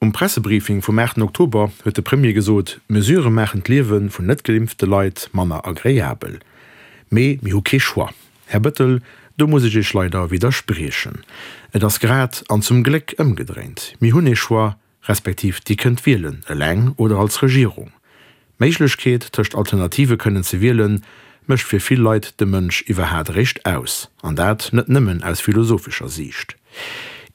Um Pressebriefing vum 8 Oktober huet de Premier gesot, d'Mesurë maachen d'Liewe vun net geimpfte Leit manner agreabel. Mee mir hu kee Choix. Här Bëttel, do muss ech Iech leider widderspriechen. Et ass grad an zum Gléck ëmgedréint, Mir hunn ee Choix, respektiv Dir kënnt wielen, eleng oder als Regierung. D'Méiglechkeet, tëscht Alternative kënnen ze wielen, mécht fir vill Leit de Mënsch iwwerhaat eréischt aus, an dat net nëmmen aus philosophescher Siicht.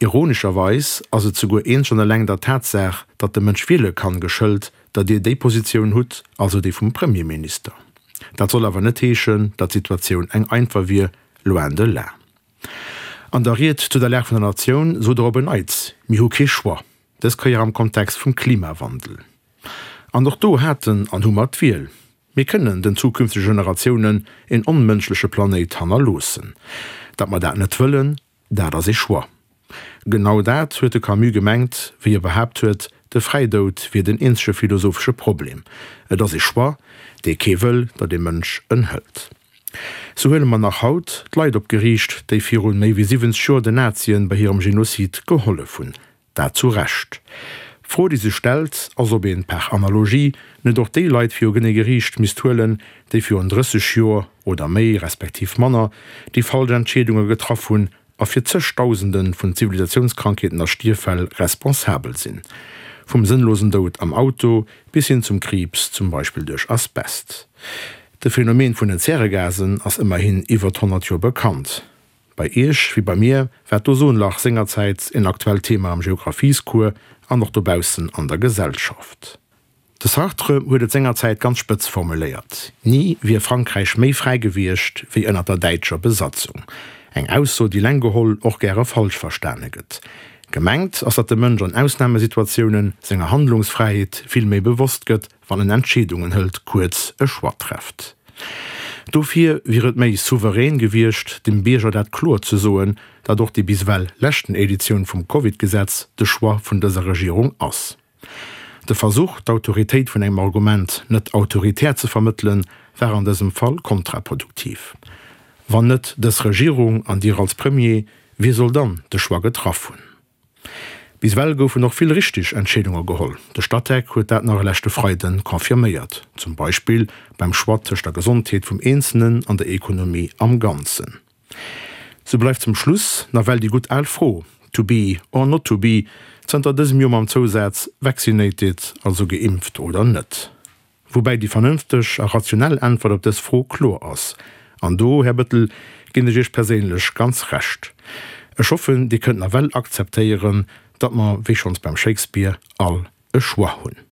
Ironescherweis ass et souguer eenzeg an eleng der Tatsaach, datt de Mënsch wiele kann, geschëlt, datt Dir déi Positioun hutt, also déi vum Premierminister. Dat soll awer net heeschen, datt d'Situatioun eng einfach wier, loin de là. An der Ried zu der Lag vun der Natioun sot er op en Neits, Mir hu kee Choix, dës Kéier am Kontext vum Klimawandel. An och do haten an hu mer d'Wiel. Mir kënnen den zukünftege Generatiounen een onmënschleche Planéit hannerloossen. Datt mer dat net wëllen, dat ass ee Choix. Genau dat huet de Camus gemengt, wéi e behaapt huet, de Fräidoud wier den eenzege philosophesche Problem. Et ass ee Choix, dee kee wëll, datt ee Mënsch en hëlt. Sou huele mer nach haut d'Leit op d'Geriicht, déi virun méi wéi 70 Joer den Nazien bei hirem Genozid gehollef hunn. Dat zu Recht. D'Fro, déi sech stellt, ass, ob een par analogie net och déi Leit viru genee Geriicht misst huelen, déi virun 30 Joer oder méi, respektiv manner, déi falsch Entscheedunge getraff hunn a fir zegdausende vun Zivilisatiounskrankheeten a Stierffäll responsabel sinn, vum sënnlosen Doud am Auto bis hin zum Kriibs, zum Beispill duerch Asbest. De Phänomen vun den Zäregasen ass ëmmerhin iwwert 100 Joer bekannt. Bei Iech wéi bei mir war d'Ozonlach sengerzäits een aktuellt Thema am Geographiescours an och dobaussen an der Gesellschaft. De Sartre huet et sengerzäit ganz spëtz formuléiert, Ni wier Frankräich méi fräi gewiescht wéi ënner der däitscher Besatzung. Eng Ausso, déi leng geholl och gäre falsch verstane gëtt. Gemengt ass, datt de Mënsch an Ausnamesituatiounen senger Handlungsfräiheet vill méi bewosst gëtt, wann en Entscheedungen hëlt, kuerz e Choix trefft. Dofir wier et méi souverän gewiescht, dem Bierger dat kloer ze soen, datt och déi bis ewell leschten Editioun vum Covid-Gesetz de Choix vun dëser Regierung ass. De Versuch, d'Autoritéit vun engem Argument net autoritär ze vermëttelen, war an dësem Fall kontraproduktiv. Wann net dës Regierung an Dir als Premier, wie soll dann de Choix getraff hunn? Bis ewell goufen och vill richteg Entscheedunge geholl. De Statec huet dat nach e leschte Freiden confirméiert, zum Beispill beim Choix tëscht der Gesondheet vum Eenzelnen an der Ekonomie am Ganzen. Sou bleift zum Schluss nawell déi gutt al Fro, to be or not to be, zënter dësem Joer mam Zousaz vaccinated, also geimpft oder net. Woubäi déi vernënfteg a rationell Äntwert op dës Fro kloer ass. An do, Här Bëttel, ginn ech Iech perséinlech ganz Recht. Ech hoffen, Dir kënnt nawell akzeptéieren, datt mer, wéi schonns beim Shakespeare, all e Choix hunn.